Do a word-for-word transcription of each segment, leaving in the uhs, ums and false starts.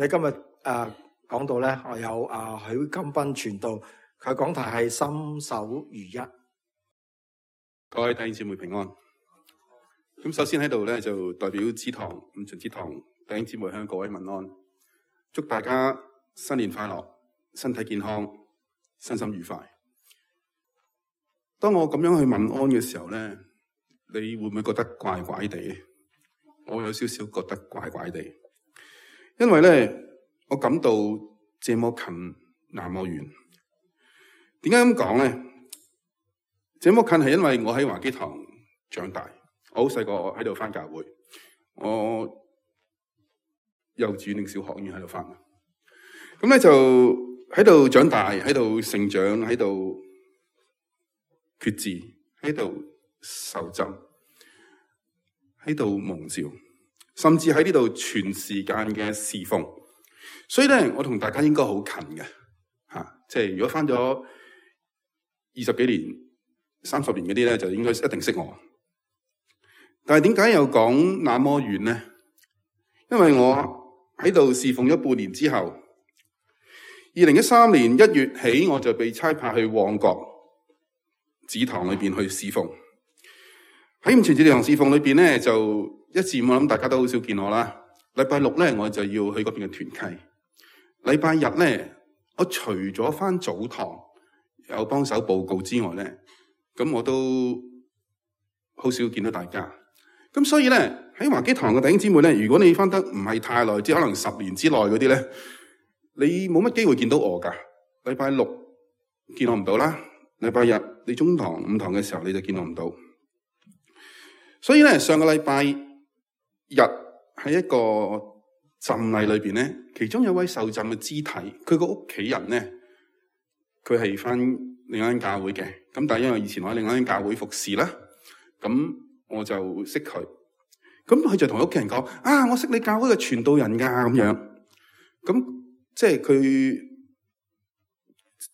我哋今日誒講到咧，我有啊許金斌傳道，佢講題係心手如一。各位弟兄姊妹平安。咁首先喺度咧就代表支堂五旬節堂弟兄姊妹向各位問安，祝大家新年快樂，身體健康，身心愉快。當我咁樣去問安嘅時候咧，你會唔會覺得怪怪地？我有少少覺得怪怪地，因為咧我感到這麼近那麼遠。點解咁講咧？這麼近係因為我喺華基堂長大，我好細個喺度返教會，我幼稚園定小學已經喺度返。咁咧就喺度長大，喺度成長，喺度決志，喺度受浸，喺度蒙召，甚至喺呢度全時間嘅侍奉。所以咧，我同大家應該好近嘅吓，即係如果返咗二十幾年、三十年嗰啲咧，就應該一定識我。但係點解又講那麼遠咧？因為我喺度侍奉咗半年之後，二零一三年一月起，我就被差派去旺角子堂裏邊去侍奉。喺五旬節堂侍奉裏邊咧，就一至五我諗大家都好少見我啦。禮拜六咧，我就要去嗰邊嘅團契。禮拜日咧，我除咗返早堂有幫手報告之外咧，咁我都好少見到大家。咁所以咧，喺華基堂嘅弟兄姊妹咧，如果你返得唔係太耐，即係可能十年之內嗰啲咧，你冇乜機會見到我噶。禮拜六見我唔到啦，禮拜日你中堂五堂嘅時候你就見我唔到。所以咧，上個禮拜日喺一個浸禮裏邊咧，其中有位受浸嘅肢體，佢個屋企人咧，佢係返另一間教會嘅。咁但係因為以前我喺另一間教會服侍啦，咁我就識佢。咁佢就同屋企人講：啊，我識你教會嘅傳道人噶咁樣。咁即係佢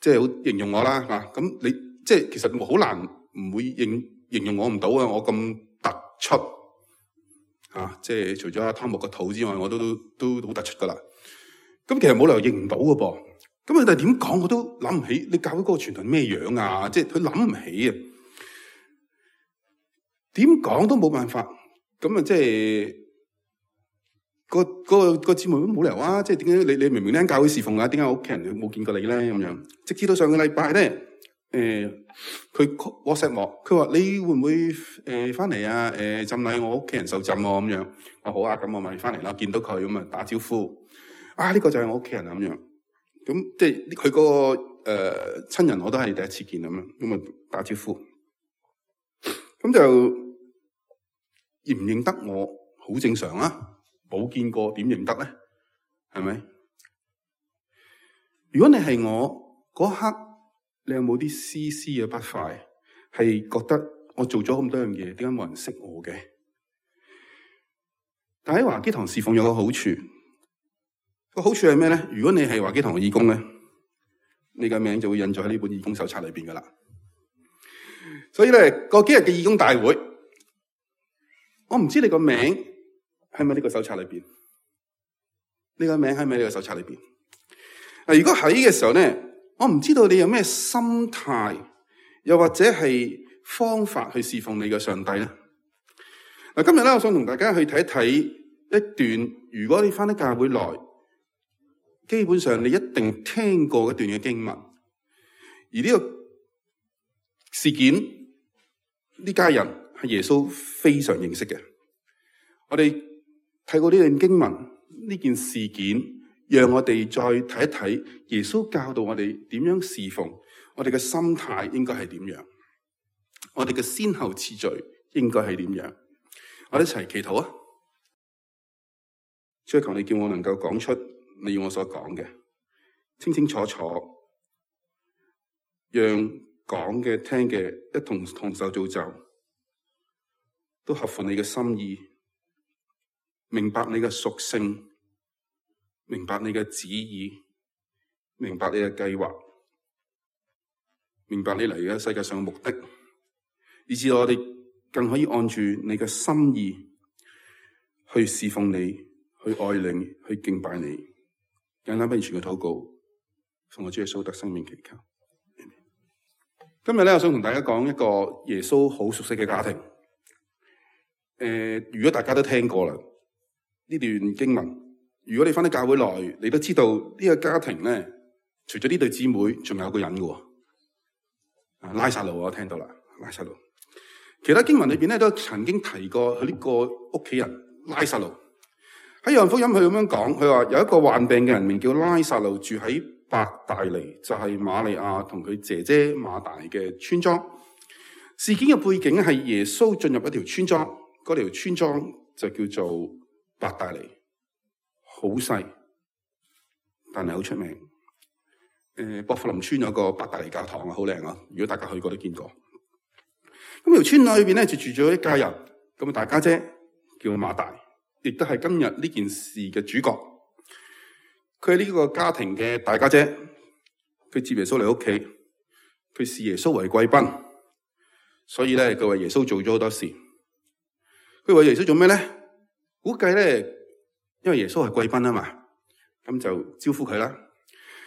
即係好形容我啦吓。咁你即係其實好難唔會形形容我唔到啊！我咁突出啊！即係除咗阿湯木個肚之外，我都都都好突出噶啦。咁其實冇理由認唔到噶噃。咁佢哋點講我都諗唔起。你教會嗰個傳道人咩樣啊？即係佢諗唔起啊！點講都冇辦法。咁啊，即係個個個姊妹都冇理由啊！即係點解你你明明呢間教會侍奉啊？點解我屋企人冇見過你咧？咁樣，直至到上個禮拜咧，誒、呃，佢 WhatsApp 我，佢話你會唔會誒翻嚟啊？誒、呃，浸禮我屋企人受浸喎，咁樣，我好啊，咁我咪翻嚟啦，見到佢咁啊，打招呼。啊，呢、這個就係我屋企人啊，咁樣，咁即係佢嗰個誒親人我都係第一次見咁樣，咁啊打招呼，咁就。認唔認得我好正常啊，冇見過點認得咧？係咪？如果你係我嗰刻，你有冇啲絲絲嘅不快？係覺得我做咗咁多樣嘢，點解冇人識我嘅？但喺華基堂侍奉有個好處，個好處係咩咧？如果你係華基堂嘅義工咧，你嘅名就會印咗喺呢本義工手冊裏邊噶啦。所以咧，過幾日嘅義工大會。我唔知你個名係咪呢個手冊裏邊？你個名係咪呢個手冊裏邊？嗱，如果喺嘅時候咧，我唔知道你有咩心態，又或者係方法去侍奉你嘅上帝咧。嗱，今日咧，我想同大家去睇一睇一段，如果你翻到教會來，基本上你一定聽過一段嘅經文，而呢個事件呢家人。係耶穌非常認識嘅。我哋睇過呢段經文，呢件事件，讓我哋再睇一睇耶穌教導我哋點樣侍奉，我哋嘅心態應該係點樣，我哋嘅先後次序應該係點樣。我哋一齊祈禱啊！主，求你叫我能夠講出你要我所講嘅，清清楚楚，讓講嘅聽嘅一同同受造就。都合乎你嘅心意，明白你嘅屬性，明白你嘅旨意，明白你嘅計劃，明白你嚟嘅世界上嘅目的，以致我哋更可以按住你嘅心意去侍奉你，去愛你，去敬拜你。簡單不完全嘅禱告，奉我主耶穌得生命祈求。今日咧，我想同大家講一個耶穌好熟悉嘅家庭。誒、呃，如果大家都聽過啦，呢段經文，如果你翻到教會內，你都知道呢個家庭咧，除咗呢對姊妹，仲有個人嘅。啊，拉撒路我聽到啦，拉撒路。其他經文裏邊咧都曾經提過佢呢個屋企人拉撒路。喺約翰福音佢咁樣講，佢話有一個患病嘅人名叫拉撒路，住喺伯大尼，就係瑪利亞同佢姐姐馬大嘅村莊。事件嘅背景係耶穌進入一條村莊，嗰條村莊就叫做伯大尼，好細，但係好出名。誒、呃，薄扶林村有個伯大尼教堂啊，好靚啊！如果大家去過都見過。咁條村裏邊咧就住咗一家人，咁啊大家姐叫馬大，亦都係今日呢件事嘅主角。佢係呢個家庭嘅大家姐，佢接耶穌嚟屋企，佢視耶穌為貴賓，所以咧佢為耶穌做咗好多事。佢為耶穌做咩咧？估計咧，因為耶穌係貴賓啊嘛，咁就招呼佢啦。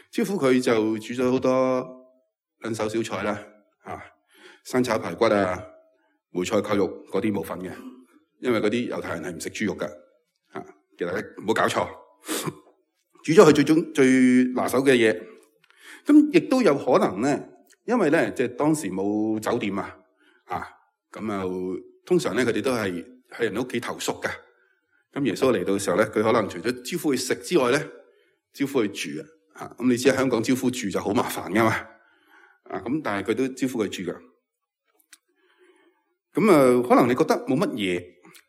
招呼佢就煮咗好多兩手小菜啦，啊，生炒排骨啊、梅菜扣肉嗰啲冇份嘅，因為嗰啲猶太人係唔食豬肉噶，啊，其實唔好搞錯。煮咗佢最中最拿手嘅嘢，咁亦都有可能咧，因為咧即係當時冇酒店啊，啊，咁啊通常咧佢哋都係喺人屋企投宿嘅。咁耶穌嚟到嘅時候咧，佢可能除咗招呼佢食之外咧，招呼佢住啊。啊，咁你知喺香港招呼住就好麻煩噶嘛，啊，咁但係佢都招呼佢住噶。咁啊，可能你覺得冇乜嘢，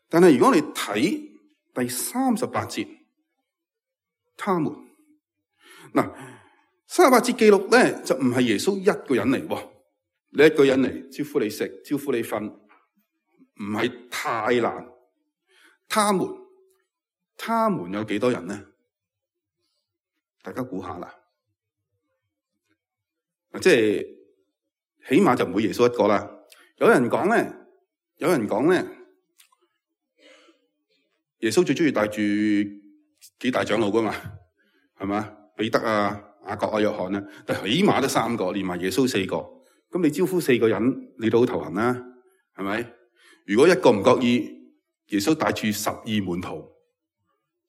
但係如果你睇第三十八節。他們嗱，三十八節記錄咧就唔係耶穌一個人嚟喎，你一個人嚟招呼你食，招呼你瞓，唔係太難。他們，他們有幾多人咧？大家估下啦，即係起碼就唔會耶穌一個啦。有人講咧，有人講咧，耶穌最中意帶住幾大長老噶嘛，係嘛？彼得啊、雅各啊、約翰啊，但起碼都三個，連埋耶穌四個。咁你招呼四個人，你都好頭痕啦，係咪？如果一個唔覺意，耶穌帶住十二門徒，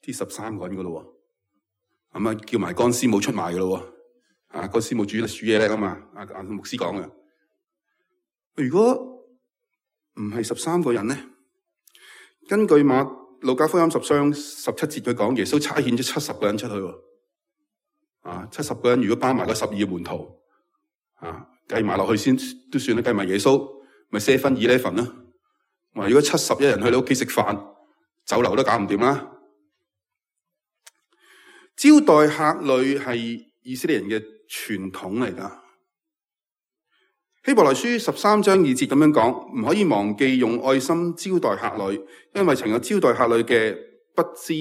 啲十三個人噶咯，咁啊叫埋乾師母出賣噶咯，啊乾師母煮煮嘢叻啊嘛，阿阿牧師講嘅。如果唔係十三個人咧，根據馬路加福音十章十七節佢講，耶穌差遣咗七十個人出去，啊，七十個人如果包埋個十二門徒，啊，計埋落去先都算啦，計埋耶穌咪四分二呢份啦。話如果七十一人去你屋企食飯，酒樓都搞唔掂啦。招待客旅係以色列人嘅傳統嚟噶。希伯來書十三章二節咁樣講，唔可以忘記用愛心招待客旅，因為曾有招待客旅嘅不知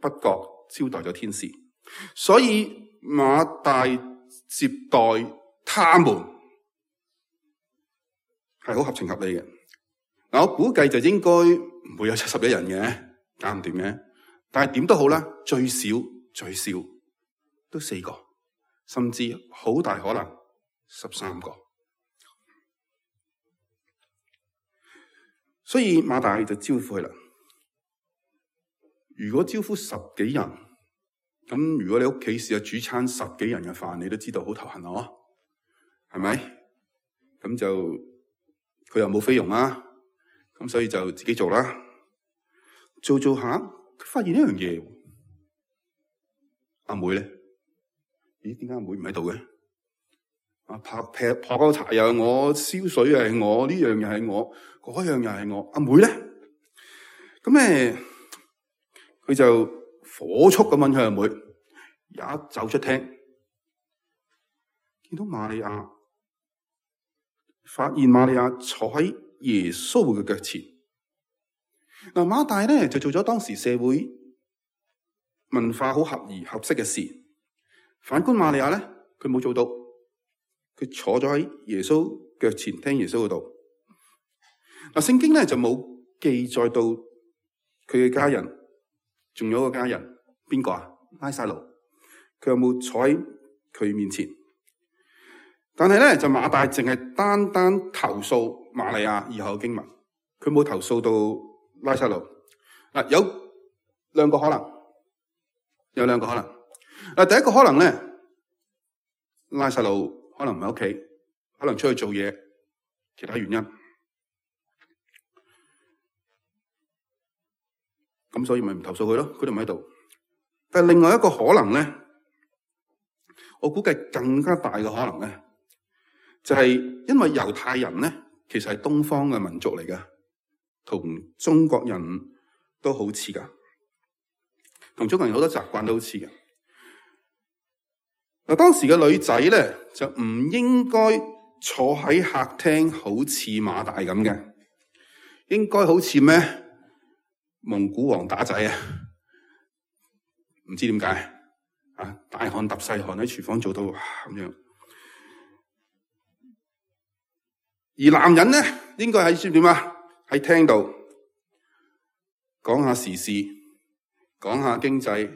不覺招待咗天使，所以馬大接待他們係好合情合理嘅。嗱，我估計就應該唔會有七十一人嘅，搞唔掂嘅。但係點都好啦，最少最少都四個，甚至好大可能十三個。所以馬大就招呼佢啦。如果招呼十幾人，咁如果你屋企試下煮餐十幾人嘅飯，你都知道好頭痕咯，係咪？咁就佢又冇菲傭啦，咁所以就自己做啦。做做下，佢發現一樣嘢，阿妹咧，咦？點解阿妹唔喺度嘅？啊，拍劈破個柴又係我，燒水又係我，呢樣又係我，嗰樣又係我。阿妹咧，咁咧，佢就火速咁問佢阿妹，一走出廳，見到瑪利亞，發現瑪利亞坐喺耶穌嘅腳前。嗱，馬大咧就做咗當時社會文化好合宜合適嘅事，反觀瑪利亞咧，佢冇做到。佢坐咗喺耶穌腳前聽耶穌嗰度。嗱，聖經咧就冇記載到佢嘅家人，仲有一個家人邊個啊？拉撒路。佢有冇坐喺佢面前？但係咧，就馬大淨係單單投訴瑪利亞以後嘅經文，佢冇投訴到拉撒路。嗱，有兩個可能，有兩個可能。嗱，第一個可能咧，拉撒路可能唔喺屋企，可能出去做嘢，其他原因。咁所以咪唔投訴佢咯，佢都唔喺度。但係另外一個可能咧，我估計更加大嘅可能咧，就係因為猶太人咧，其實係東方嘅民族嚟㗎，同中國人都好似㗎，同中國人好多習慣都好似㗎。嗱，當時嘅女仔咧就唔應該坐喺客廳，好似馬大咁嘅，應該好似咩蒙古王打仔啊？唔知點解啊？大汗揼細汗喺廚房做到哇咁樣。而男人咧，應該喺知點啊？喺廳度講下時事，講下經濟，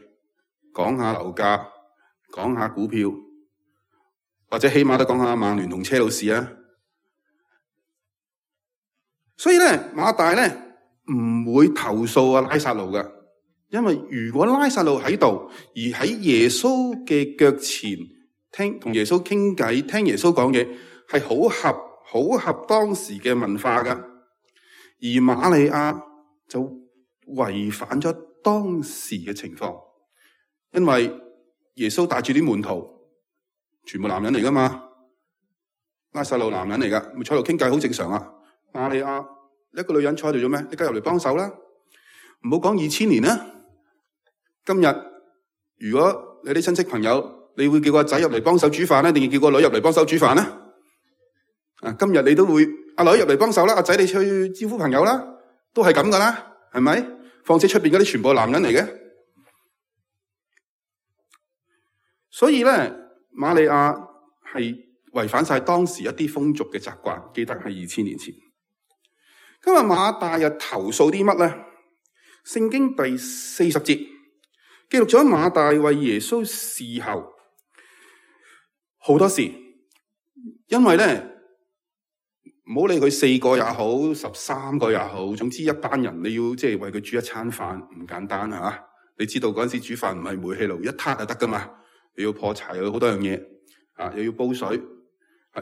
講下樓價，講下股票，或者起碼都講下曼聯同車路士啊。所以咧，馬大咧唔會投訴啊拉撒路㗎，因為如果拉撒路喺度，而喺耶穌嘅腳前聽同耶穌傾偈，聽耶穌講嘢，係好合。好合當時嘅文化㗎，而瑪利亞就違反咗當時嘅情況，因為耶穌帶住啲門徒，全部男人嚟㗎嘛，拉撒路男人嚟㗎，咪坐喺度傾偈好正常啊。瑪利亞一個女人坐喺度做咩？你梗係入嚟幫手啦，唔好講二千年啦。今日如果你啲親戚朋友，你會叫個仔入嚟幫手煮飯咧，定係叫個女入嚟幫手煮飯咧？啊！今日你都會阿女入嚟幫手啦，阿仔你去招呼朋友啦，都係咁噶啦，係咪？況且出邊嗰啲全部係男人嚟嘅，所以咧，瑪利亞係違反晒當時一啲風俗嘅習慣。記得係二千年前。今日馬大又投訴啲乜咧？聖經第四十節記錄咗馬大為耶穌侍候好多事，因為咧。唔好理佢四個也好，十三個也好，總之一班人你要即係為佢煮一餐飯唔簡單吓。你知道嗰陣時煮飯唔係煤氣爐一撻就得噶嘛，又要破柴，又要好多樣嘢啊，又要煲水，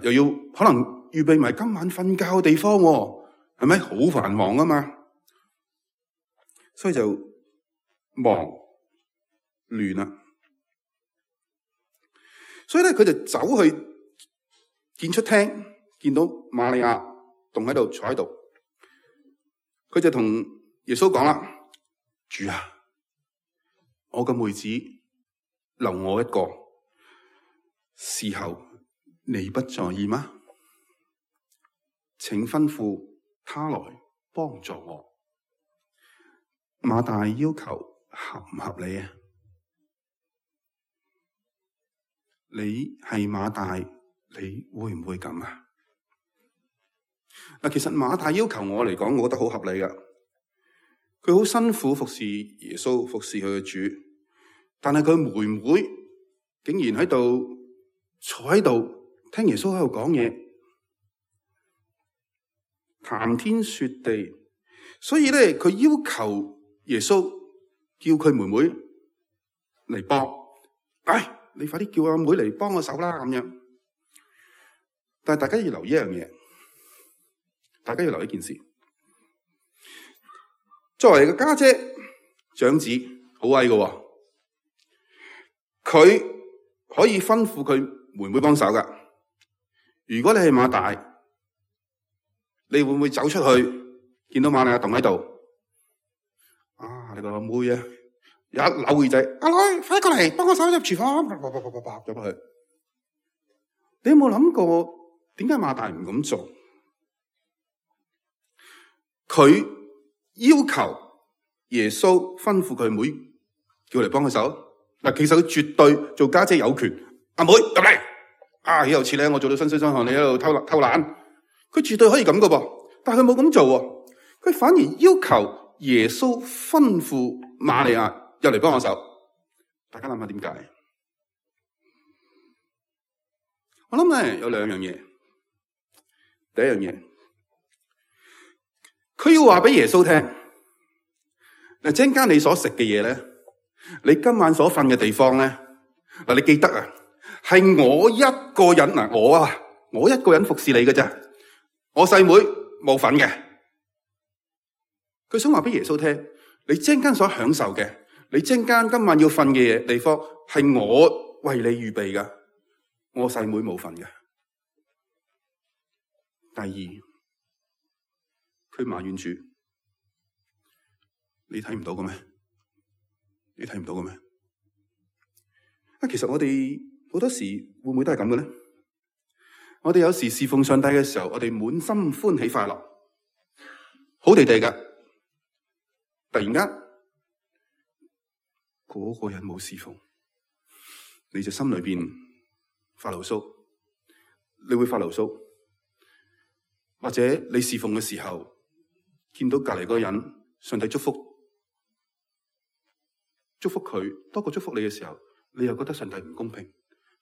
又要可能預備埋今晚瞓覺嘅地方，係咪好繁忙啊嘛？所以就忙亂啦。所以咧，佢就走去見出廳。見到瑪利亞棟喺度坐喺度，佢就同耶穌講啦：主啊，我個妹子留我一個，侍候你不在意嗎？請吩咐他來幫助我。馬大要求合唔合理啊？你係馬大，你會唔會咁啊？嗱，其實馬大要求我嚟講，我覺得好合理噶。佢好辛苦服侍耶穌，服侍佢嘅主，但係佢妹妹竟然喺度坐喺度聽耶穌喺度講嘢，談天說地。所以咧，佢要求耶穌叫佢妹妹嚟幫。哎，你快啲叫阿妹嚟幫我手啦，咁樣。但係大家要留意一樣嘢。大家要留意一件事，作為個家姐長子好威嘅，佢可以吩咐佢妹妹幫手噶。如果你係馬大，你會唔會走出去見到瑪利亞棟喺度？啊，你個阿妹啊，一扭耳仔，阿女快過嚟幫我手入廚房，啪啪啪啪啪入去。你有冇諗過點解馬大唔咁做？佢要求耶穌吩咐佢妹叫嚟幫佢手。嗱，其實佢絕對做家姐有權。阿妹入嚟，啊，有次咧，我做到身水身汗，你喺度偷偷懶，佢絕對可以咁噶噃。但係佢冇咁做，佢反而要求耶穌吩咐瑪利亞入嚟幫我手。大家諗下點解？我諗咧有兩樣嘢。第一樣嘢，佢要話俾耶穌聽，嗱，陣間你所食嘅嘢咧，你今晚所瞓嘅地方咧，嗱，你記得啊，係我一個人嗱，我啊，我一個人服侍你嘅啫，我細妹冇份嘅。佢想話俾耶穌聽，你陣間所享受嘅，你陣間今晚要瞓嘅嘢地方，係我為你預備噶，我細妹冇份嘅。第二，佢埋怨主，你睇唔到嘅咩？你睇唔到嘅咩？啊，其實我哋好多時會唔會都係咁嘅咧？我哋有時侍奉上帝嘅時候，我哋滿心歡喜快樂，好地地噶。突然間，嗰、那個人冇侍奉，你就心裏邊發牢騷，你會發牢騷，或者你侍奉嘅時候，見到隔籬嗰個人，上帝祝福，祝福佢多過祝福你嘅時候，你又覺得上帝唔公平，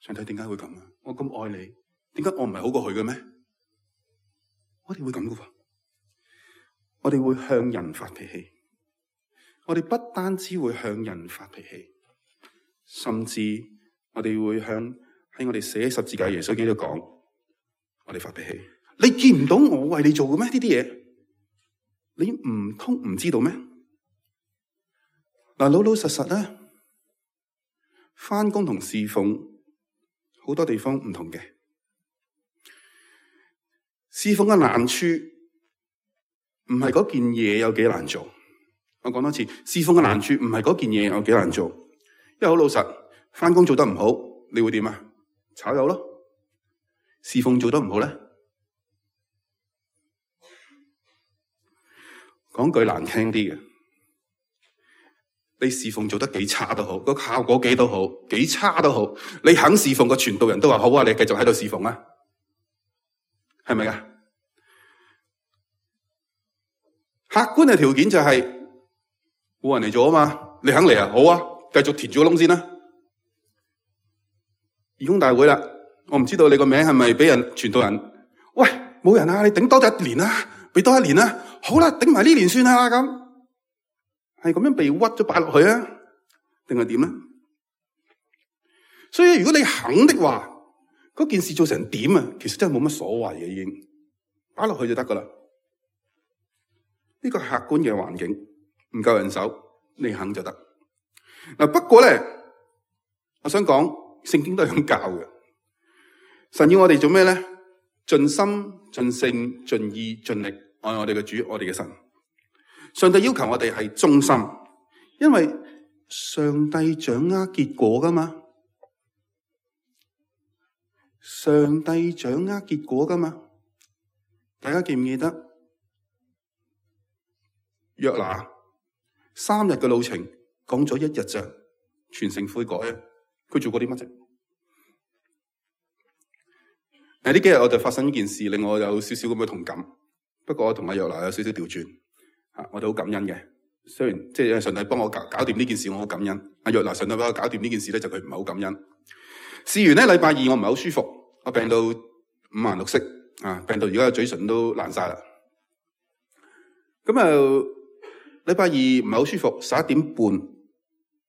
上帝點解會咁啊？我咁愛你，點解我唔係好過佢嘅咩？我哋會咁噶喎，我哋會向人發脾氣。我哋不單止會向人發脾氣，甚至我哋會向喺我哋寫十字架耶穌基督講，我哋發脾氣。你見唔到我為你做嘅咩？呢啲嘢，你唔通唔知道咩？嗱，老老實實咧，返工同侍奉好多地方唔同嘅。侍奉嘅難處唔係嗰件嘢有幾難做。我講多次，侍奉嘅難處唔係嗰件嘢有幾難做，因為好老實，返工做得唔好，你會點啊？炒魷咯。侍奉做得唔好咧，講句難聽啲嘅，你侍奉做得幾差都好，個效果幾都好，幾差都好，你肯侍奉個傳道人都話好啊，你繼續喺度侍奉啊，係咪啊？客觀嘅條件就係、是。冇人嚟做啊嘛，你肯嚟啊？好啊，繼續填住個窿先啦。義工大會啦，我唔知道你個名係咪俾人傳道人？喂，冇人啊，你頂多一年啦，俾多一年啦。好啦，頂埋呢年算啦咁，係咁樣被屈咗擺落去啊？定係點咧？所以如果你肯的話，嗰件事做成點啊？其實真係冇乜所謂嘅，已經擺落去就得噶啦。呢個客觀嘅環境。唔夠人手，你肯就得。嗱，不過咧，我想講，聖經都係咁教嘅。神要我哋做咩咧？盡心、盡性、盡意、盡力愛我哋嘅主，我哋嘅神。上帝要求我哋係忠心，因為上帝掌握結果噶嘛。上帝掌握結果噶嘛。大家記唔記得約拿？三日嘅路程，講咗一日咋，全城悔改啊！佢做過啲乜啫？誒，呢幾日我就發生一件事，令我有少少咁嘅同感。不過我同阿約拿有少少調轉，吓，我哋好感恩嘅。雖然即係上帝幫我搞搞掂呢件事，我好感恩。阿約拿上帝幫我搞掂呢件事咧，就佢唔係好感恩。試完咧，禮拜二我唔係好舒服，我病到五顏六色啊，病到而家嘴唇都爛晒啦。咁啊〜禮拜二唔係好舒服，十一點半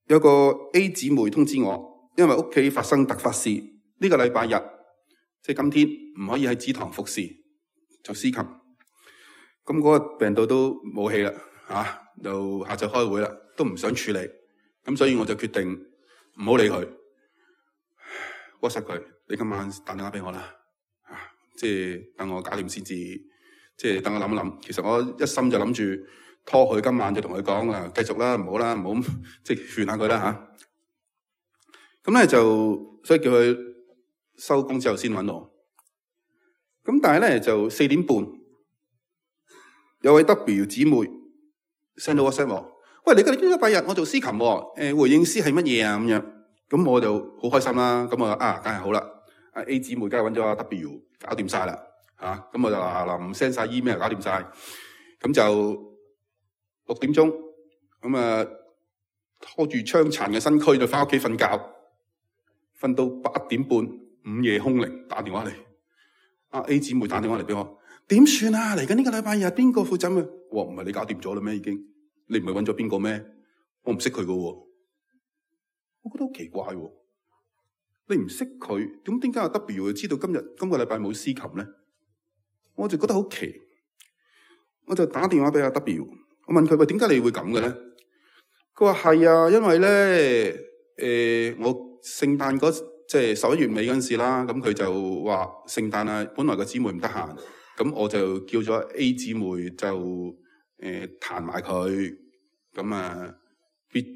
有個 A 姊妹通知我，因為屋企發生突發事，呢、這個禮拜日即係今天唔可以喺祠堂服侍做司琴。咁嗰個病到都冇氣啦，吓、啊、就下晝開會啦，都唔想處理，咁所以我就決定唔好理佢 WhatsApp 佢，你今晚打電話俾我啦，啊，即係等我搞掂先至，即係等我諗一諗。其實我一心就諗住。拖佢今晚就同佢講啊，繼續啦，唔好啦，唔好即係勸下佢啦吓。咁咧就所以叫佢收工之後先搵我。咁但係咧就四點半有位 W 姊妹 send 到 WhatsApp 我，喂，你今日禮拜日我做司琴喎，誒回應詩係乜嘢啊咁樣？咁我就好開心啦。咁我啊梗係好啦，阿 A 姊妹梗係搵咗阿 W 搞掂晒啦吓。咁我就嗱嗱唔 send 晒 email 搞掂晒，咁就。六點鐘，咁啊拖住傷殘嘅身軀就翻屋企瞓覺，瞓到八點半，唔午夜凶鈴打電話嚟，阿 A 姊妹打電話嚟俾我，點算啊？嚟緊呢個禮拜日邊個負責咩？我話唔係你搞掂咗啦咩？已經，你唔係揾咗邊個咩？我唔識佢噶，我覺得好奇怪喎。你唔識佢，咁點解阿 W 會知道今日今個禮拜冇司琴咧？我就覺得好奇，我就打電話俾阿 W， 我問佢，喂，點解你會咁嘅咧？佢話係啊，因為咧，誒、呃，我聖誕嗰即係十一月尾嗰陣時啦，咁佢就話聖誕啊，本來個姊妹唔得閒，咁我就叫咗 A 姊妹就誒彈埋佢，咁啊。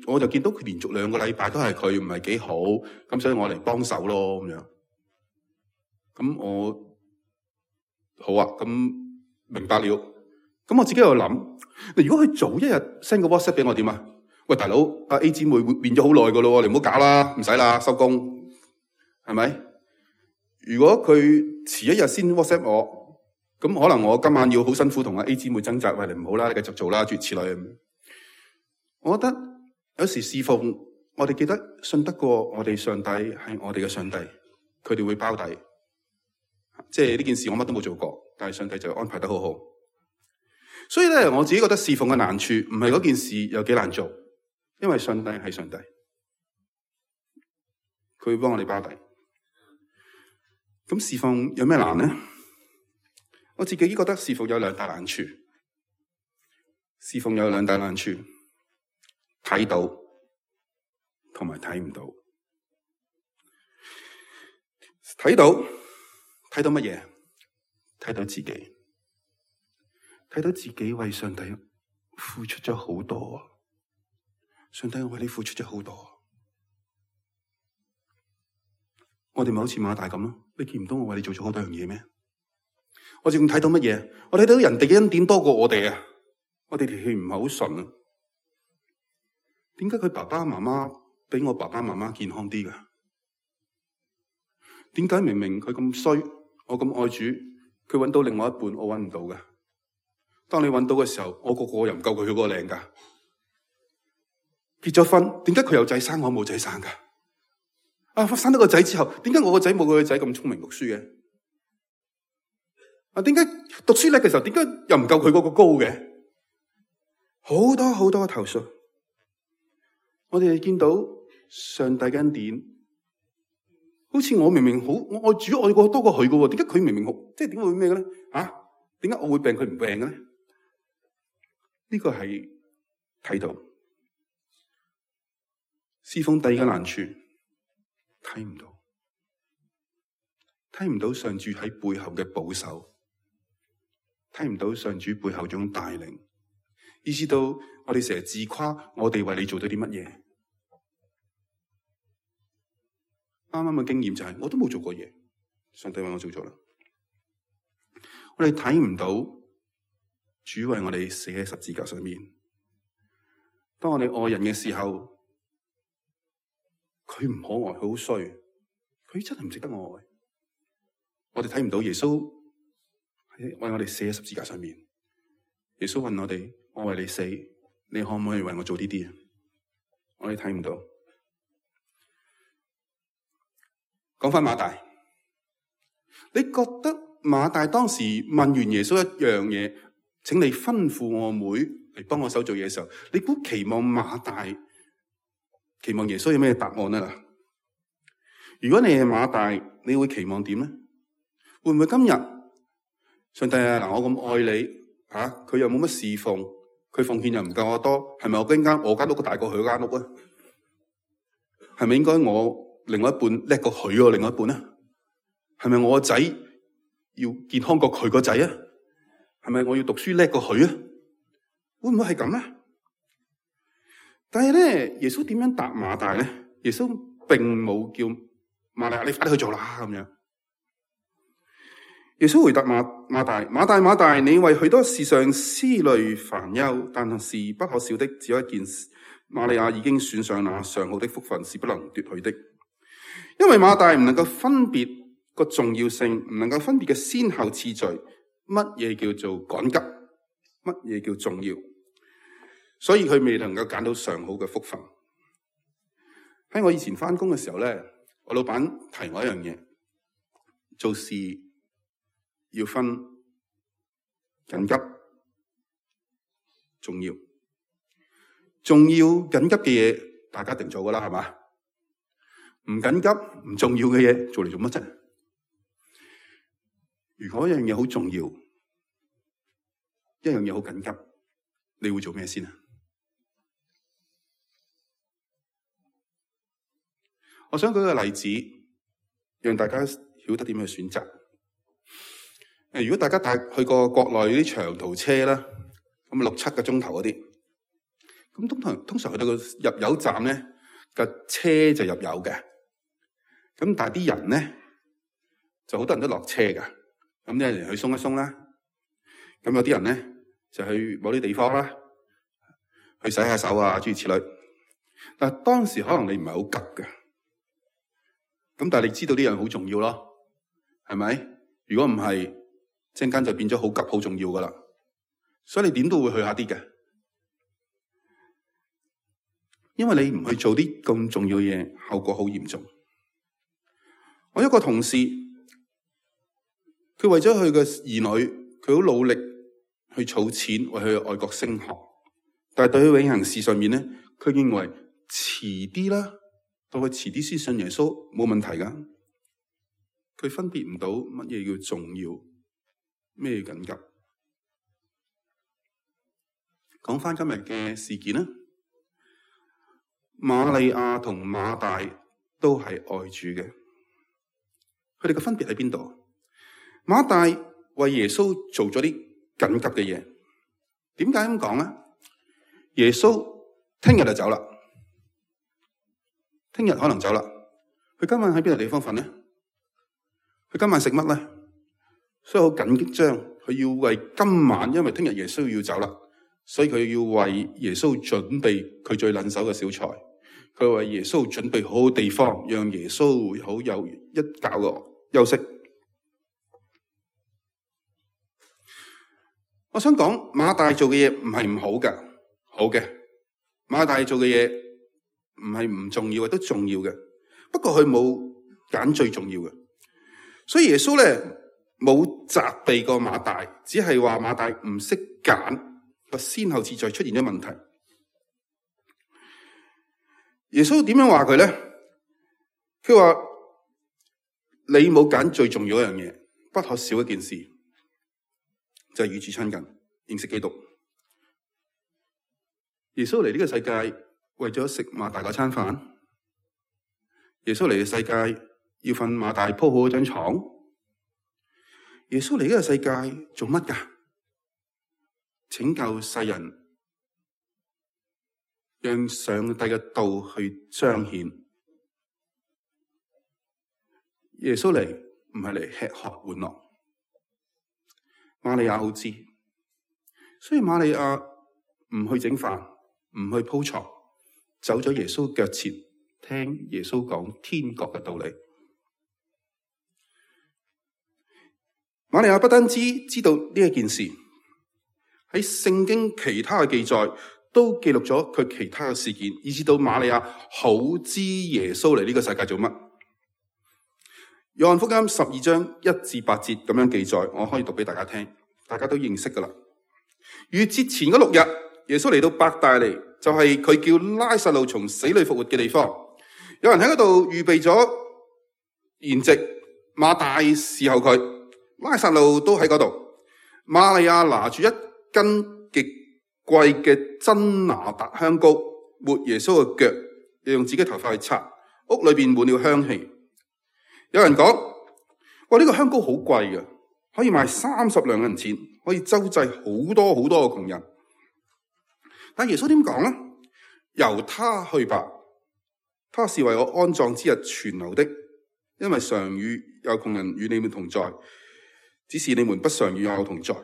我就見到佢連續兩個禮拜都係佢唔係幾好，咁所以我嚟幫手咯咁樣。咁我好啊，咁明白了。咁我自己又諗，如果佢早一日 send 個 WhatsApp 俾我點啊？喂，大佬，阿 A 姊妹變咗好耐噶咯，你唔好搞啦，唔使啦，收工，係咪？如果佢遲一日先 WhatsApp 我，咁可能我今晚要好辛苦同阿 A 姊妹掙扎，喂，你唔好啦，你繼續做啦，諸如此類。我覺得。有時侍奉，我哋記得信得過我哋上帝係我哋嘅上帝，佢哋會包底。即係呢件事我乜都冇做過，但係上帝就安排得好好。所以咧，我自己覺得侍奉嘅難處唔係嗰件事有幾難做，因為上帝係上帝，佢會幫我哋包底。咁侍奉有咩難呢？我自己覺得侍奉有兩大難處，侍奉有兩大難處。睇到同埋睇唔到，睇到睇到乜嘢？睇到自己，睇到自己為上帝付出咗好多。上帝，我為你付出咗好多。我哋咪好似馬大咁咯？你見唔到我為你做咗好多樣嘢咩？我仲睇到乜嘢？我睇到人哋嘅恩典多過我哋啊！我哋條氣唔係好順啊！點解佢爸爸媽媽比我爸爸媽媽健康啲㗎？點解明明佢咁衰，我咁愛主，佢揾到另外一半，我揾唔到㗎？當你揾到嘅時候，我個個又唔夠佢嗰個靚㗎。結咗婚，點解佢有仔生，我冇仔生㗎？啊，生咗個仔之後，點解我個仔冇佢個仔咁聰明讀書嘅？啊，點解讀書叻嘅時候，點解又唔夠佢嗰個高嘅？好多好多投訴。我哋見到上帝嘅恩典，好似我明明好，我愛主愛過多過佢嘅，點解佢明明好，即係點會咩嘅咧？啊，點解我會病佢唔病嘅咧？呢個係睇到侍奉第二個難處，睇唔到，睇唔到上主喺背後嘅保守，睇唔到上主背後種帶領，意識到我哋成日自誇，我哋為你做咗啲乜嘢？啱啱嘅經驗就係、是，我都冇做過嘢，上帝為我做咗啦。我哋睇唔到主為我哋死喺十字架上面。當我哋愛人嘅時候，佢唔可愛，佢好衰，佢真係唔值得我愛。我哋睇唔到耶穌為我哋死喺十字架上面。耶穌問我哋：我為你死，你可唔可以為我做呢啲？我哋睇唔到。講返馬大，你覺得馬大當時問完耶穌一樣嘢，請你吩咐我妹嚟幫我手做嘢嘅時候，你估期望馬大期望耶穌有咩答案啊？如果你係馬大，你會期望點咧？會唔會今日上帝啊，嗱，我咁愛你吓，佢又冇乜侍奉，佢奉獻又唔夠我多，係咪我間間我間屋大過佢間屋啊？係咪應該我另外一半叻過佢喎？另外一半咧，係咪我個仔要健康過佢個仔啊？係咪我要讀書叻過佢啊？會唔會係咁咧？但係咧，耶穌點樣答馬大咧？耶穌並冇叫馬大你快啲去做啦咁樣。耶穌回答馬馬大：馬大馬大，你為許多事上思慮煩憂，但是不可少的只有一件事。瑪利亞已經選上那上好的福分，是不能奪去的。因為馬大唔能夠分別個重要性，唔能夠分別嘅先後次序，乜嘢叫做趕急，乜嘢叫重要，所以佢未能夠揀到上好嘅福分。喺我以前返工嘅時候咧，我老闆提我一樣嘢，做事要分緊急、重要。重要緊急嘅嘢，大家一定做噶啦，係嘛？唔緊急、唔重要嘅嘢，做嚟做乜啫？如果一樣嘢好重要，一樣嘢好緊急，你會做咩先啊？我想舉個例子，讓大家曉得點樣去選擇。誒，如果大家帶去過國內啲長途車啦，咁六七個鐘頭嗰啲，咁通常通常去到個入油站咧，個車就入油嘅。咁但係啲人咧，就好多人都落車噶。咁啲人去鬆一鬆啦。咁有啲人咧就去某啲地方啦，去洗下手啊，諸如此類。但係當時可能你唔係好急嘅。咁但係你知道呢樣好重要咯，係咪？如果唔係，陣間就變咗好急、好重要噶啦。所以你點都會去下啲嘅，因為你唔去做啲咁重要嘅嘢，後果好嚴重。我一個同事，佢為咗佢嘅兒女，佢好努力去儲錢，為佢去外國升學。但係對佢永恆事上面咧，佢認為遲啲啦。到佢遲啲先信耶穌冇問題噶，佢分別唔到乜嘢叫重要，咩叫緊急。講翻今日嘅事件啦，瑪利亞同馬大都係愛主嘅，佢哋嘅分別喺邊度？馬大為耶穌做咗啲緊急嘅嘢，點解咁講咧？耶穌聽日就走啦。聽日可能走啦，佢今晚喺邊個地方瞓咧？佢今晚食乜咧？所以好緊張，佢要為今晚，因為聽日耶穌要走啦，所以佢要為耶穌準備佢最撚手嘅小菜。佢為耶穌準備好地方，讓耶穌好有一覺嘅休息。我想講馬大做嘅嘢唔係唔好㗎，好嘅。馬大做嘅嘢唔係唔重要嘅，都重要嘅。不過佢冇揀最重要嘅，所以耶穌咧冇責備過馬大，只係話馬大唔識揀，個先後次序出現咗問題。耶穌點樣話佢咧？佢話你冇揀最重要一樣嘢，不可少一件事，就係與主親近，認識基督。耶穌嚟呢個世界，為咗食馬大嗰餐飯，耶穌嚟嘅世界要瞓馬大鋪好嗰張床。耶穌嚟呢個世界做乜噶？拯救世人，讓上帝嘅道去彰顯。耶穌嚟唔係嚟吃喝玩樂。瑪利亞好知，所以瑪利亞唔去整飯，唔去鋪床。走咗耶穌腳前，聽耶穌講天國嘅道理。瑪利亞不單止知道呢一件事，喺聖經其他嘅記載都記錄咗佢其他嘅事件，以至到瑪利亞好知耶穌嚟呢個世界做乜。約翰福音十二章一至八節咁樣記載，我可以讀俾大家聽，大家都認識噶啦。逾節前嗰六日，耶穌嚟到伯大尼，就係佢叫拉撒路從死裏復活嘅地方。有人喺嗰度預備咗筵席，馬大侍候佢，拉撒路都喺嗰度。瑪利亞拿住一斤極貴嘅真哪噠香膏，抹耶穌嘅腳，又用自己頭髮去擦，屋裏邊滿了香氣。有人講：哇，呢個香膏好貴嘅，可以賣三十兩銀錢，可以周濟好多好多嘅窮人。但耶穌點講呢？由他去吧，他是為我安葬之日存留的，因為常與有窮人與你們同在，只是你們不常與我同在。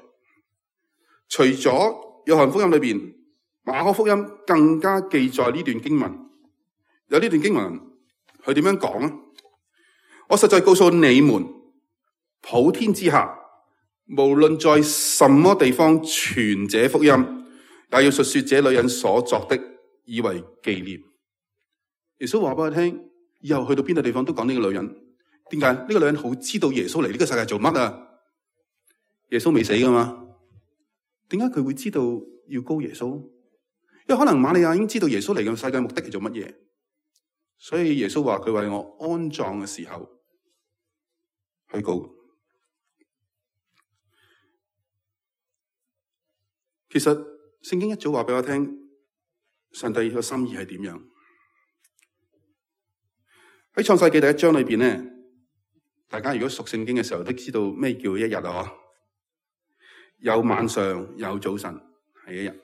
除咗約翰福音裏邊，馬可福音更加記載呢段經文。有呢段經文，佢點樣講呢？我實在告訴你們，普天之下，無論在什麼地方傳這福音，也要述說這女人所作的，以為紀念。耶穌話俾我聽，以後去到邊個地方都講呢個女人，點解？呢個女人好知道耶穌嚟呢個世界做乜啊？耶穌未死噶嘛？點解佢會知道要膏耶穌？因為可能瑪利亞已經知道耶穌嚟嘅世界目的係做乜嘢，所以耶穌話佢為我安葬嘅時候去膏。其實聖經一早話俾我聽，上帝嘅心意係點樣？喺創世紀第一章裏邊咧，大家如果熟聖經嘅時候都知道咩叫一日啊？有晚上有早晨係一日。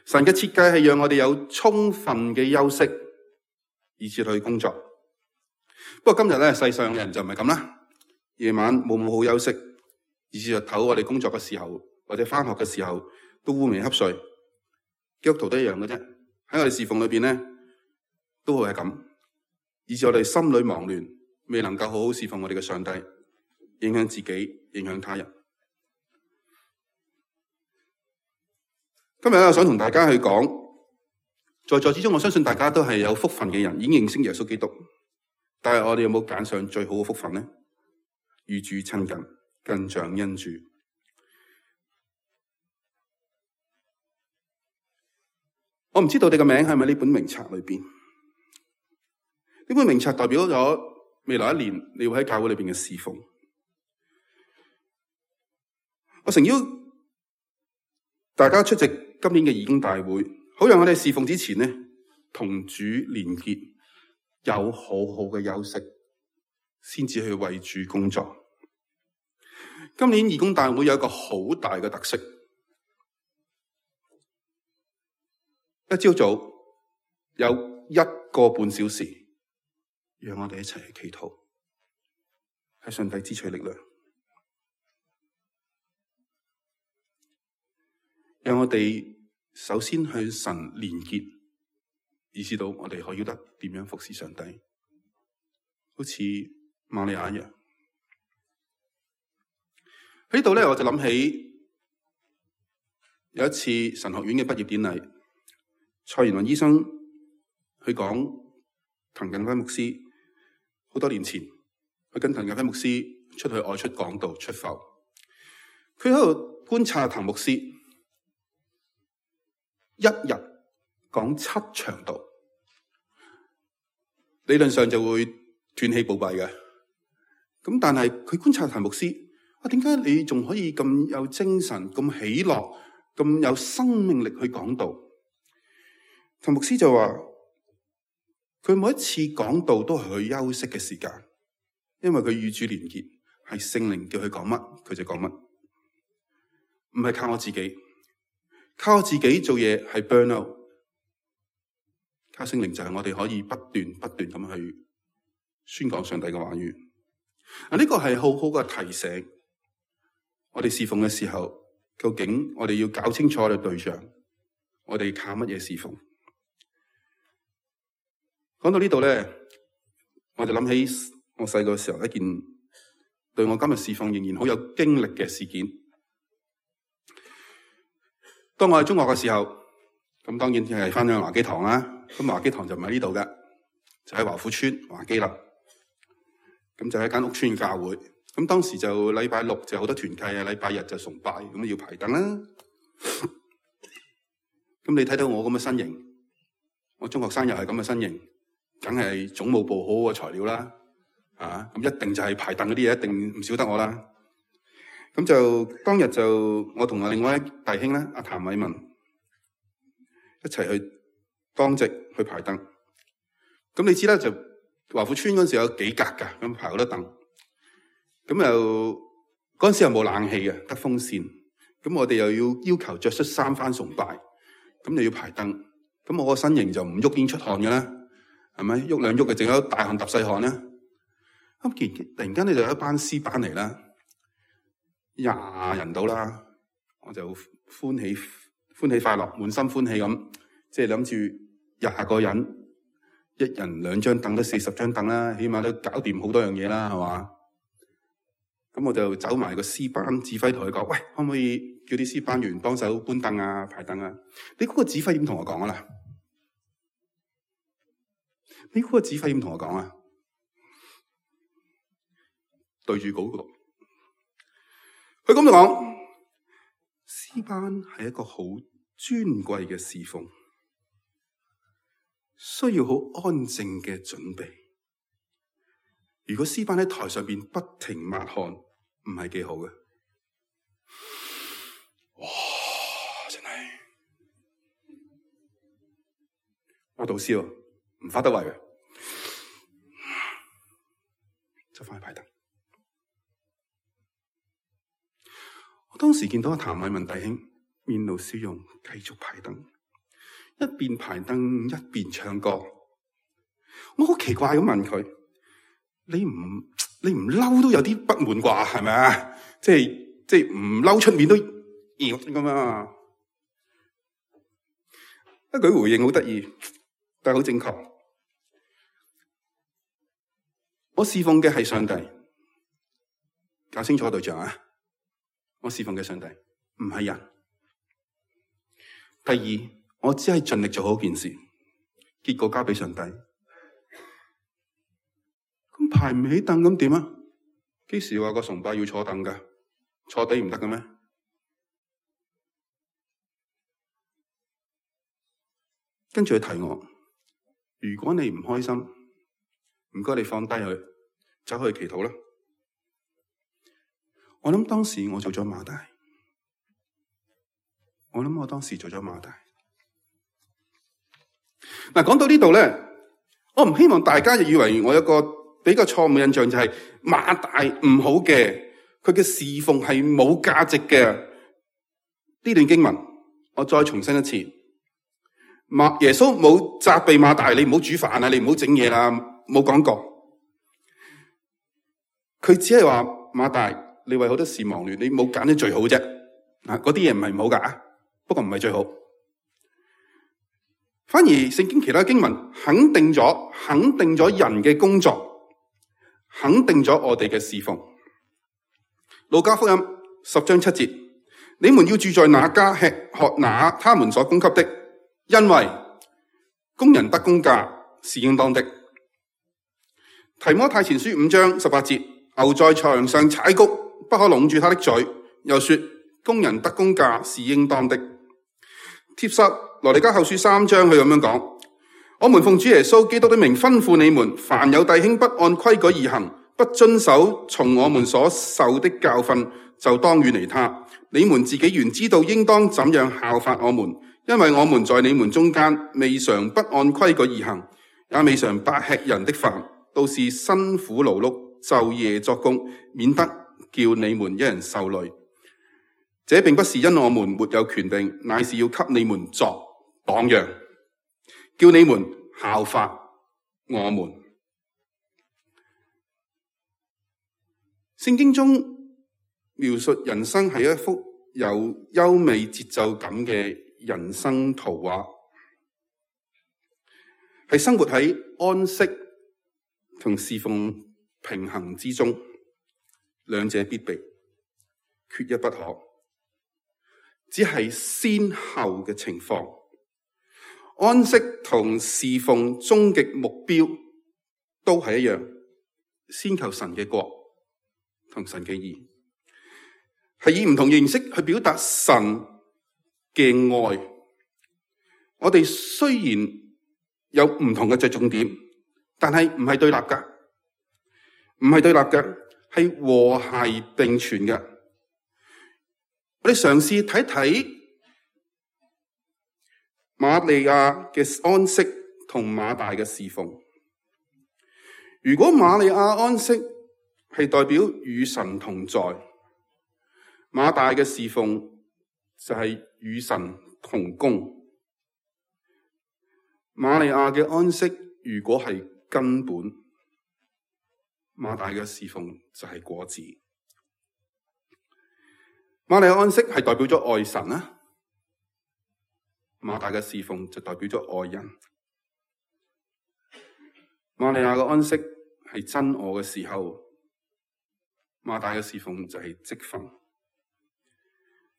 神嘅設計係讓我哋有充分嘅休息，以至去工作。不過今日咧，世上嘅人就唔係咁啦，夜晚冇冇好休息，以至日頭我哋工作嘅時候或者返學嘅時候都烏眉瞌睡。基督徒都一樣嘅啫，喺我哋侍奉裏邊咧都會係咁，以至我哋心裏忙亂，未能夠好好侍奉我哋嘅上帝，影響自己，影響他人。今日咧，我想同大家去講，在座之中，我相信大家都係有福分嘅人，已經認識耶穌基督。但係我哋有冇揀上最好嘅福分呢？與主親近，更像恩主。我唔知道你嘅名係咪呢本名冊裏邊？呢本名冊代表咗未來一年你會喺教會裏邊嘅侍奉。我誠邀大家出席今年嘅義工大會，好讓我哋侍奉之前呢，同主連結，有好好嘅休息，先至去為主工作。今年義工大會有一個好大嘅特色，一朝早有一個半小時，讓我哋一齊去祈禱，喺上帝支取力量。讓我哋首先向神連結，以至到我哋可以得點樣服侍上帝，好似瑪利亞一樣。喺呢度咧，我就諗起有一次神學院嘅畢業典禮，蔡元雲醫生去講滕近輝牧師，好多年前佢跟滕近輝牧師出去外出講道出埠，佢喺度觀察滕牧師。一日講七場道，理論上就會斷氣暴斃嘅。咁但係佢觀察滕牧師，啊，點解你仲可以咁有精神、咁喜樂、咁有生命力去講道？滕牧師就話，佢每一次講道都係佢休息嘅時間，因為佢與主連結，係聖靈叫佢講乜，佢就講乜，唔係靠我自己。靠自己做嘢係 burn out， 靠聖靈就係我哋可以不斷不斷咁去宣講上帝嘅話語。啊，呢個係好好嘅提醒。我哋侍奉嘅時候，究竟我哋要搞清楚我哋對象，我哋靠乜嘢侍奉？講到呢度咧，我就諗起我細個時候一件對我今日侍奉仍然好有經歷嘅事件。當我喺中學嘅時候，咁當然係翻咗華基堂啦。咁華基堂就唔喺呢度嘅，就喺華富村華基啦。咁就喺間屋村教會。咁當時就禮拜六就好多團契啊，禮拜日就崇拜，咁要排凳啦。咁你睇到我咁嘅身形，我中學生又係咁嘅身形，梗係總務部好好嘅材料啦。啊，咁一定就係排凳嗰啲嘢，一定唔少得我啦。咁就當日就我同另外一弟兄咧，阿譚偉文一齊去當值去排凳。咁你知啦，就華富村嗰陣時有幾格噶，咁排好多凳。咁又嗰陣時又冇冷氣嘅，得風扇。咁我哋又要要求着恤衫返崇拜，咁你要排凳。咁我個身形就唔喐已經出汗嘅啦，係咪？喐兩喐嘅，淨有大汗揼細汗啦。咁突然間咧就有一班詩班嚟啦。廿人到啦，我就歡喜歡喜快樂，滿心歡喜咁，即係諗住廿個人，一人兩張凳都四十張凳啦，起碼都搞掂好多樣嘢啦，係嘛？咁我就走埋個詩班指揮同佢講，喂，可唔可以叫啲詩班員幫手搬凳啊、排凳啊？你估個指揮點同我講啊啦？你估個指揮點同我講啊？對住嗰個。佢咁就講，詩班係一個好尊貴嘅侍奉，需要好安靜嘅準備。如果詩班喺台上邊不停抹汗，唔係幾好嘅。哇！真係我導師喎，唔發得圍嘅，執翻去排燈。我當時見到阿譚偉文弟兄面露笑容，繼續排燈，一邊排燈一邊唱歌。我好奇怪咁問佢：你唔你唔嬲都有啲不滿啩？係咪啊？即係即係唔嬲出面都要咁啊？一句回應好得意，但係好正確。我侍奉嘅係上帝，搞清楚對象啊！我侍奉嘅上帝唔係人。第二，我只係盡力做好件事，結果交俾上帝。咁排唔起凳咁點啊？幾時話個崇拜要坐凳噶？坐地唔得嘅咩？跟住佢提我，如果你唔開心，唔該你放低佢，走去祈禱啦。我諗當時我做咗馬大，我諗我當時做咗馬大。嗱，講到呢度咧，我唔希望大家就以為我有個比較錯誤嘅印象，就係馬大唔好嘅，佢嘅侍奉係冇價值嘅。呢段經文，我再重申一次，馬耶穌冇責備馬大，你唔好煮飯啊，你唔好整嘢啦，冇講過。佢只係話馬大，你為好多事忙亂，你冇揀啲最好啫。嗱，嗰啲嘢唔係唔好噶，不過唔係最好。反而聖經其他經文肯定咗，肯定咗人嘅工作，肯定咗我哋嘅侍奉。路加福音十章七節，你們要住在那家，吃喝那他們所供給的，因為工人得工價是應當的。提摩太前書五章十八節，牛在牆上踩谷，不可攏住他的嘴，又說工人得工價是應當的。帖撒羅尼迦後書三章佢咁樣講，我們奉主耶穌基督的名吩咐你們，凡有弟兄不按規矩而行，不遵守從我們所受的教訓，就當遠離他。你們自己原知道應當怎樣效法我們，因為我們在你們中間未嘗不按規矩而行，也未嘗不吃人的飯，都是辛苦勞碌，晝夜作工，免得叫你們一人受累。這並不是因我們沒有權柄，乃是要給你們作榜樣，叫你們效法我們。聖經中描述人生係一幅有優美節奏感嘅人生圖畫，係生活喺安息同侍奉平衡之中，兩者必備，缺一不可。只係先後嘅情況，安息同侍奉終極目標都係一樣，先求神嘅國同神嘅義，係以唔同形式去表達神嘅愛。我哋雖然有唔同嘅着重點，但係唔係對立噶，唔係對立嘅，係和諧並存嘅。我哋嘗試睇睇瑪利亞嘅安息同馬大嘅侍奉。如果瑪利亞安息係代表與神同在，馬大嘅侍奉就係與神同工。瑪利亞嘅安息如果係根本，馬大嘅侍奉就係果子。瑪利亞安息係代表咗愛神啦，馬大嘅侍奉就代表咗愛人。瑪利亞嘅安息係真我嘅時候，馬大嘅侍奉就係職分。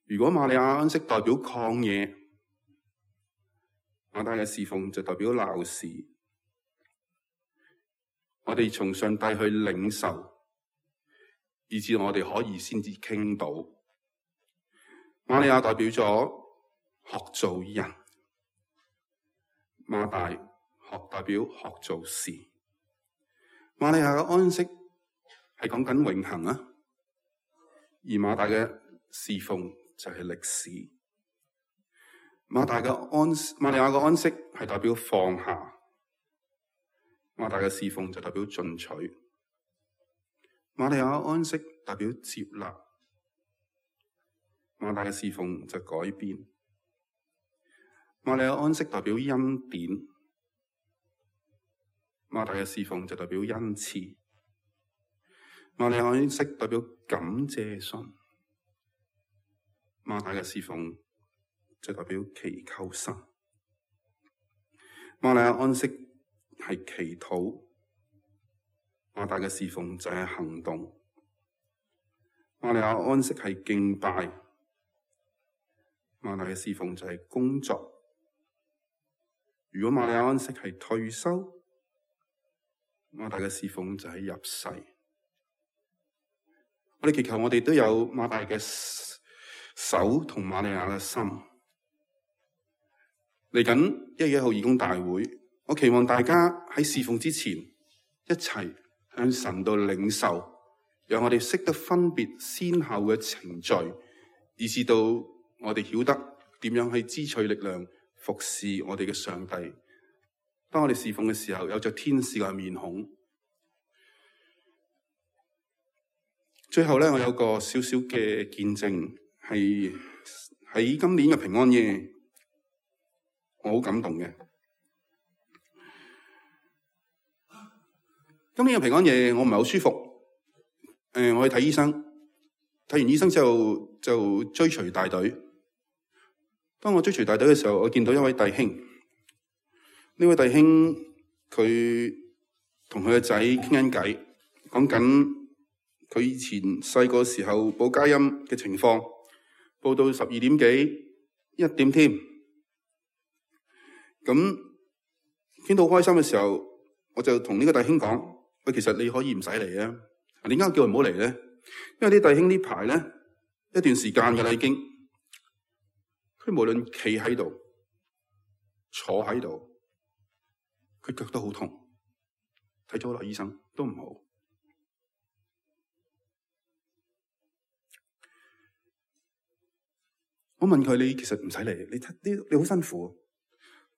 如果瑪利亞安息代表曠野，馬大嘅侍奉就代表鬧事。我哋從上帝去領受，以至我哋可以先至傾到。瑪利亞代表咗學做人，馬大學代表學做事。瑪利亞嘅安息係講緊永恆啊，而馬大嘅侍奉就係歷史。馬大嘅安瑪利亞嘅安息係代表放下，馬大嘅侍奉就代表進取。瑪利亞嘅安息代表接納，馬大嘅侍奉就改變。瑪利亞安息代表恩典，馬大嘅侍奉就代表恩賜。瑪利亞安息代表感謝信，馬大嘅侍奉就代表祈求神。瑪利亞安息係祈禱，馬大嘅侍奉就係行動。瑪利亞安息係敬拜，馬大嘅侍奉就係工作。如果瑪利亞安息係退休，馬大嘅侍奉就係入世。我哋祈求我哋都有馬大嘅手同瑪利亞嘅心。嚟緊一月一號義工大會，我期望大家喺侍奉之前一齊向神度領受，讓我哋識得分別先後嘅程序，以至到我哋曉得點樣去支取力量服侍我哋嘅上帝。當我哋侍奉嘅時候，有着天使嘅面孔。最後咧，我有個少少嘅見證，係喺今年嘅平安夜，我好感動嘅。今年嘅平安夜，我唔係好舒服。誒、呃，我去睇醫生，睇完醫生之後就追隨大隊。當我追隨大隊嘅時候，我見到一位弟兄。呢位弟兄佢同佢嘅仔傾緊偈，講緊佢以前細個時候報佳音嘅情況，報到十二點幾一點添。咁傾到開心嘅時候，我就同呢個弟兄講：喂，其實你可以唔使嚟啊！點解叫佢唔好嚟咧？因為啲弟兄呢排咧一段時間㗎啦，已經佢無論企喺度、坐喺度，佢腳都好痛，睇咗好多醫生都唔好。我問佢：你其實唔使嚟，你睇你你好辛苦。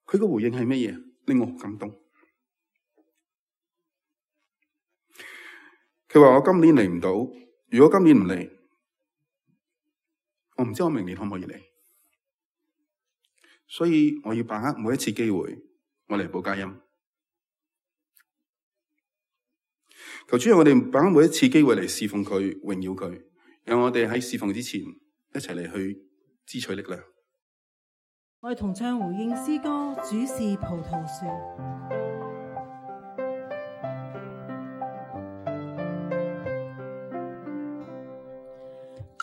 佢個回應係乜嘢？令我好感動。佢話：我今年嚟唔到，如果今年唔嚟，我唔知我明年可唔可以嚟。所以我要把握每一次機會，我嚟報佳音。求主讓我哋把握每一次機會嚟侍奉佢、榮耀佢，讓我哋喺侍奉之前一齊嚟去支取力量。我哋同唱回應詩歌，主是葡萄樹。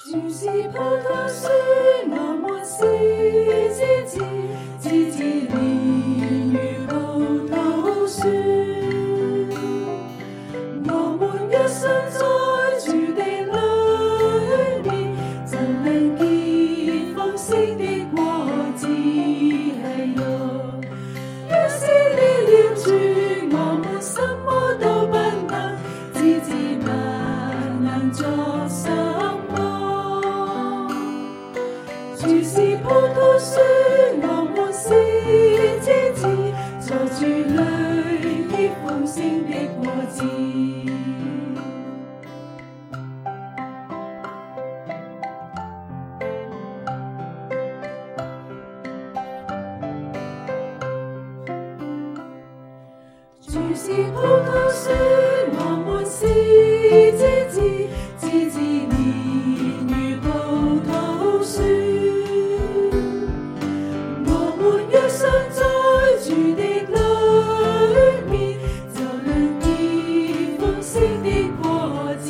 主是葡萄樹，我們是枝子，枝子連如葡萄樹。我們一生在主地裏面，就能結豐盛的果子。係喲，若是離了主，我們什麼都不能，枝子不能作什麼。主是葡萄樹，我們是枝子，在主裏結豐盛的果子。主是葡萄樹，我們是枝子，枝子連如葡萄樹。我們若生在主的裏面，就能結豐盛的果子。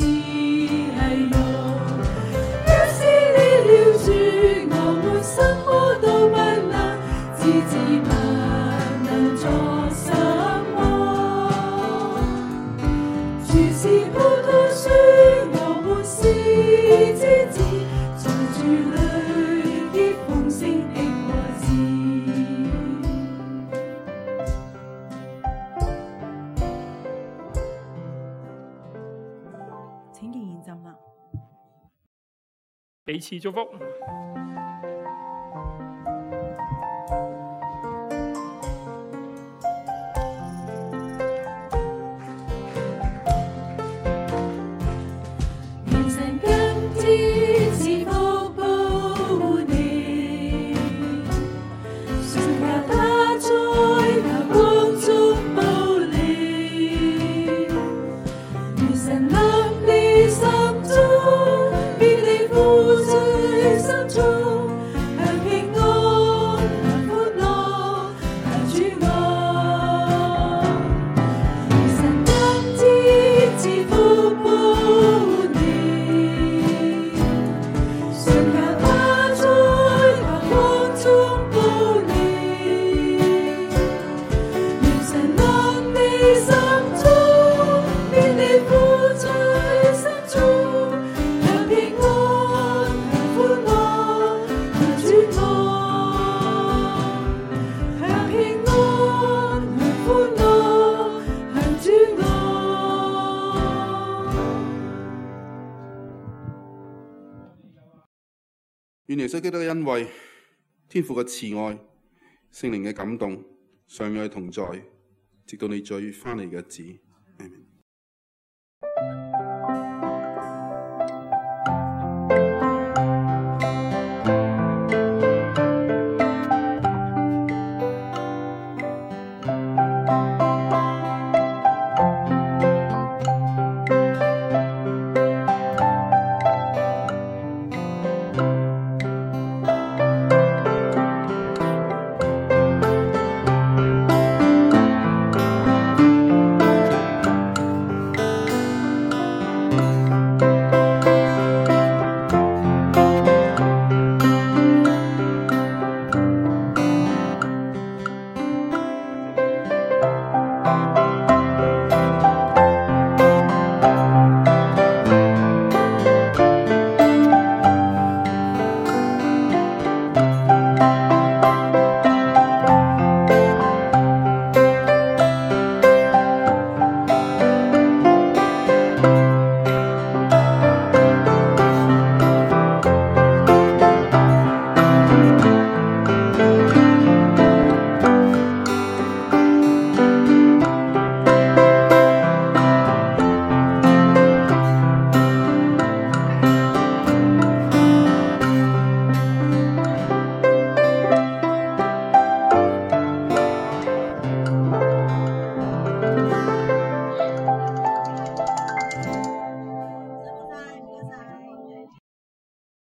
係喲，若是離了主，我們什麼都不能，枝子不能作什麼。主是葡萄樹，我們是是枝子，在主裏結豐盛的果子。請仍然站立。彼此祝福。願神今天賜福報你，信靠他在那光中保你。願神臨你心中，必你苦醉心中，享平安，享歡樂，享主愛。願神今天賜福報你，信靠他在那光中保你。願神臨你心中，必你苦醉心中，享平安，享歡樂，享主愛。享平安，享歡樂，享主愛。願耶穌基督嘅恩惠、天父嘅慈愛、聖靈嘅感動，常與你同在，直到你再翻嚟嘅日子。阿們。